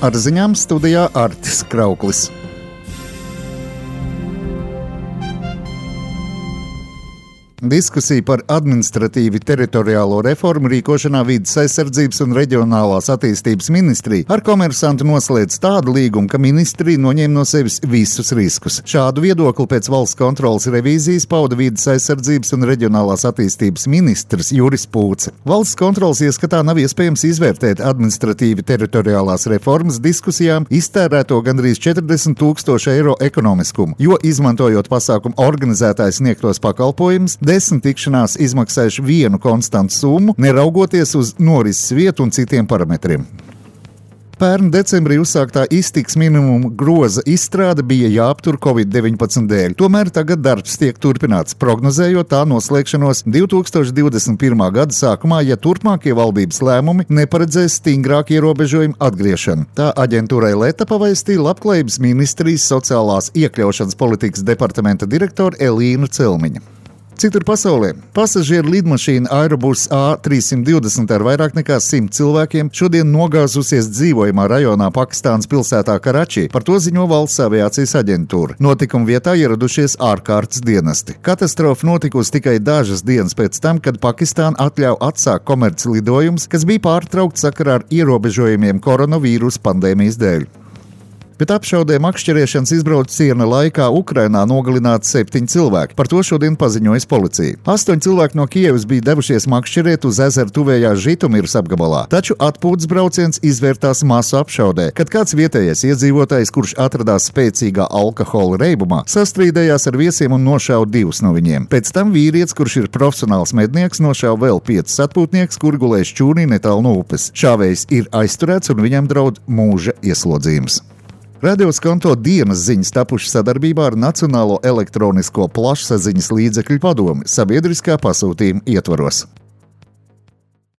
Ar ziņām studijā Artis Krauklis. Diskusija par administratīvi teritoriālo reformu rīkošanā Vides aizsardzības un reģionālās attīstības ministrija ar Komersantu noslēdz tādu līgumu, ka ministrija noņem no sevis visus riskus. Šādu viedokli pēc valsts kontrolas revīzijas pauda Vides aizsardzības un reģionālās attīstības ministrs Juris Pūce. Valsts kontrolas ieskatā nav iespējams izvērtēt administratīvi teritoriālās reformas diskusijām iztērēto gandrīz 40 000 eiro ekonomiskumu, jo izmantojot pasākumu organizētājs sniegtos pakalpojumus, 10 tikšanās izmaksājuši vienu konstantu summu, neraugoties uz norises vietu un citiem parametriem. Pērn decembrī uzsāktā iztiks minimuma groza izstrāde bija jāaptur Covid-19 dēļ. Tomēr tagad darbs tiek turpināts, prognozējot tā noslēgšanos 2021. gada sākumā, ja turpmākie valdības lēmumi neparedzēs stingrāku ierobežojumu atgriešanu. Tā aģentūrai Leta pavēstīja Labklājības ministrijas sociālās iekļaušanas politikas departamenta direktora Elīnu Celmiņu. Citur pasaulē pasažieru lidmašīna Airbus A320 ar vairāk nekā 100 cilvēkiem šodien nogāzusies dzīvojamā rajonā Pakistānas pilsētā Karači. Par to ziņo valsts aviācijas aģentūra. Notikuma vietā ieradušies ārkārtas dienesti. Katastrofa notikusi tikai dažas dienas pēc tam, kad Pakistāna atļauj atsākt komerci lidojumus, kas bija pārtraukti sakarā ar ierobežojumiem koronavīrusa pandēmijas dēļ. Bet apšaudē makšķerēšanas izbrauciena laikā Ukrainā nogalināti 7 cilvēki. Par to šodien paziņojas policija. 8 cilvēki no Kievas bija devušies makšķerēt uz ezeru tuvējā Žitomiras apgabalā. Taču atpūtas brauciens izvērtās masu apšaudē, kad kāds vietējais iedzīvotājs, kurš atradās spēcīgā alkohola reibumā, sastrīdējās ar viesiem un nošāva 2 no viņiem. Pēc tam vīrietis, kurš ir profesionāls mednieks, nošāva vēl 5 atpūtnieks, kuri gulēja šķūnī netālu no upes. Šāvējs ir aizturēts un viņam draud mūža ieslodzījums. Radio Skonto dienas ziņas tapušas sadarbībā ar Nacionālo elektronisko plašsaziņas līdzekļu padomi sabiedriskā pasūtījuma ietvaros.